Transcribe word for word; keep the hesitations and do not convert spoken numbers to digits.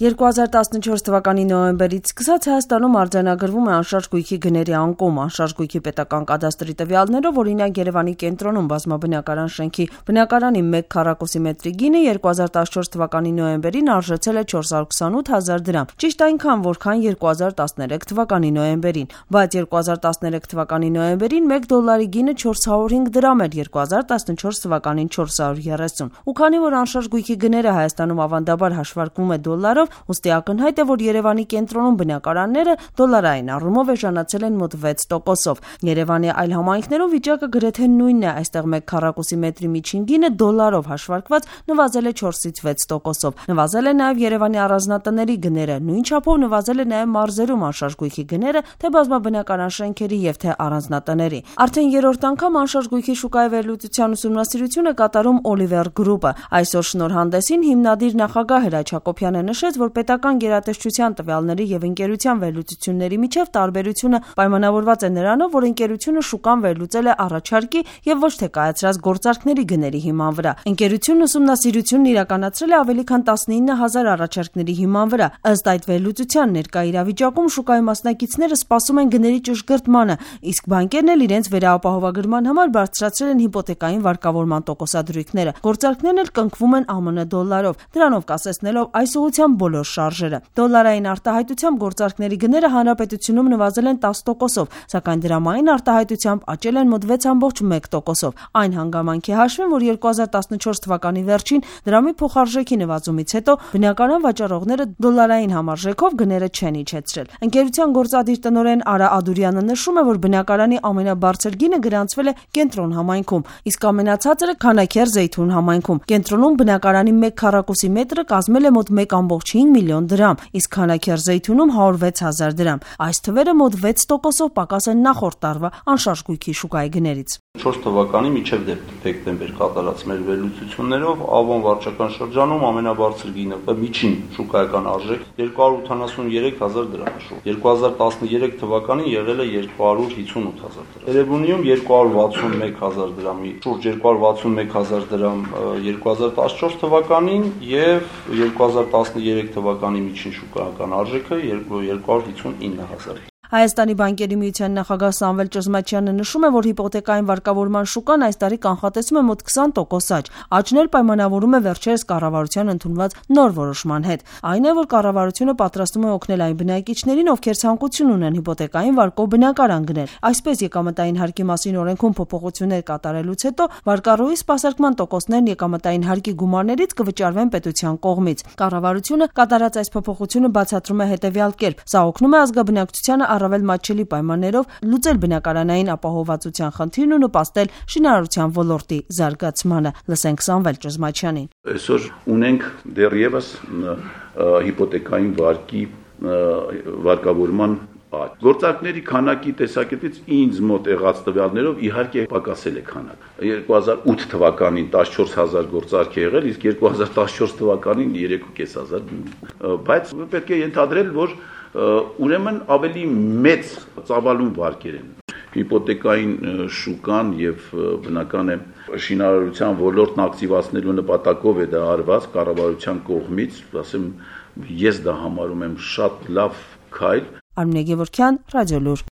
երկու հազար տասնչորս թվականի նոյեմբերից սկսած Հայաստանում արձանագրվում է անշարժ գույքի գների անկում։ Անշարժ գույքի պետական կադաստրի տվյալներով, օրինակ Երևանի կենտրոնում բազմաբնակարան շենքի բնակարանի մեկ քառակուսի մետրի գինը երկու հազար տասնչորս թվականի նոյեմբերին արժեցել է չորս հարյուր քսանութ հազար դրամ, ճիշտ այնքան, որքան երկու հազար տասներեք թվականի նոյեմբերին, բայց երկու հազար տասներեք թվականի նոյեմբերին մեկ դոլարի գինը չորս հարյուր հինգ դրամ էր, երկու հազար տասնչորս թվականին չորս հարյուր երեսուն։ Ու քանի որ անշարժ գույքի գները Հայաստանում ավանդաբար հաշվարկվում է դոլարով, ուստի ակնհայտ է, որ Երևանի կենտրոնում բնակարանները դոլարային առումով էժանացել են մոտ վեց տոկոսով։ Երևանի այլ համայնքներում վիճակը գրեթե նույնն է, այստեղ մեկ քառակուսի մետրի միջին գինը դոլարով հաշվարկված նվազել է չորսից վեց տոկոսով։ Նվազել է նաև Երևանի առանձնատների գները, նույն չափով նվազել է նաև մարզերում անշարժ գույքի գները, թե բազմաբնակարան շենքերի եւ թե առանձնատների։ Արդեն երրորդ անգամ անշարժ գույքի շուկայի վերլուծության ուսումնասիրություն է կատարում Oliver Group-ը։ Այսօր շնորհանդեսին հիմնադիր նախագահ Հրաչ Հակոբյանը նշեց, որ պետական գերատեսչության տվյալների եւ ընկերության վերլուծությունների միջև տարբերությունը պայմանավորված է նրանով, որ ընկերությունը շուկան վերլուծել է առաջարկի եւ ոչ թե կայացրած գործարքների գների հիման վրա։ Ընկերությունն ուսումնասիրությունն իրականացրել է ավելի քան տասնինը հազար առաջարկների հիման վրա։ Ըստ այդ վերլուծության ներկա իրավիճակում շուկայի մասնակիցները սպասում են գների ճշգրտմանը, իսկ բանկերն էլ իրենց վերահապահովագրման համար բարձրացրել են հիպոթեկային վարկավորման տոկոսադրույքները։ Գործարքներն էլ կնքվում են ԱՄՆ դոլարով, դրանով կասեցնելով այս ուղղությամբ բոլոր շարժերը։ Դոլարային արտահայտությամբ գործարքների գները հանրապետությունում նվազել են տասը տոկոսով, սակայն դրամային արտահայտությամբ աճել են մոտ վեց կόμք մեկ տոկոսով։ Այն հանգամանքի հաշվին, որ երկու հազար տասնչորս թվականի վերջին դրամի փոխարժեքի նվազումից հետո բնականon վաճառողները դոլարային համարժեքով գները չեն իջեցրել։ Ընկերության գործադիր տնօրեն Արա Ադուրյանը նշում է, որ բնակարանի ամենաբարձր գինը գրանցվել է Կենտրոն համայնքում, իսկ ամենացածրը Քանաքեռ Զեյթուն համայնքում։ Կենտրոնում բնակարանի մեկ քառակուսի մետրը կազմել է մոտ մեկ կόμք հինգ միլիոն դրամ, իսկ Քանաքեռ Զեյթունում հարյուր ու վեց հազար դրամ։ Այս թվերը մոտ վեց տոկոսով պակաս են նախորդ տարվա անշարժ գույքի շուկայի գներից։ չորս թվականի մինչև դեկտեմբեր կատարած մեր վերլուծություններով Ավոն վարչական շրջանում ամենաբարձր գինը միջին շուկայական արժեք երկու հարյուր ութանասունյերեք հազար դրամ է։ երկու հազար տասնյերեք թվականին եղել է երկու հարյուր հիսունութ հազար դրամ։ Երևանիում երկու հարյուր վաթսունմեկ հազար դրամի, շուրջ երկու հարյուր վաթսունմեկ հազար դրամ երկու հազար տասնչորս թվականին եւ երկու հազար տասնյերեք թվականի միջին շուկայական արժեքը երկու հարյուր հիսունինը հազար։ Հայաստանի բանկերի միության նախագահ Սամվել Ճզմաչյանը նշում է, որ հիպոթեկային վարկավորման շուկան այս տարի կանխատեսում է մոտ քսան տոկոս աճ։ Աճն էլ պայմանավորում է վերջերս կառավարության ընդունված նոր որոշման հետ։ Այն է, որ կառավարությունը պատրաստում է օգնել այն բնակիչներին, ովքեր ցանկություն ունեն հիպոթեկային վարկով բնակարան գնել։ Այսպես եկամտային հարկի մասին օրենքում փոփոխություններ կատարելուց հետո վարկառուի սպասարկման տոկոսներն եկամտային հարկի գումարներից կվճարվեն պետության կողմից։ Կառավարությունը կատարած այս փոփոխությունը բացատրում է հետևյալ կերպ. սա օգնում է ազգաբնակչությանը առավել մատչելի պայմաններով լուծել բնակարանային ապահովվածության խնդիրն ու նպաստել շինարարության ոլորտի զարգացմանը։ Լսենք Սամվել Ճզմաչյանին։ Այսօր ունենք դեռևս հիպոթեկային վարկի վարկավորման աճ։ Գործարքների քանակի տեսակետից ինձ մոտ եղած տվյալներով իհարկե պակասել է քանակը։ երկու հազար ութ թվականին տասնչորս հազար գործարք է եղել, իսկ երկու հազար տասնչորս թվականին երեք ու կես հազար։ Բայց պետք է ենթադրել, որ ուրեմն ավելի մեծ ծավալուն վարկեր են։ Հիպոթեկային շուկան եւ բնական է շինարարության ոլորտն ակտիվացնելու նպատակով է դա արված կառավարության կողմից, ասեմ, ես դա համարում եմ շատ լավ քայլ։ Արմինե Գևորգյան, Ռադիոլուր։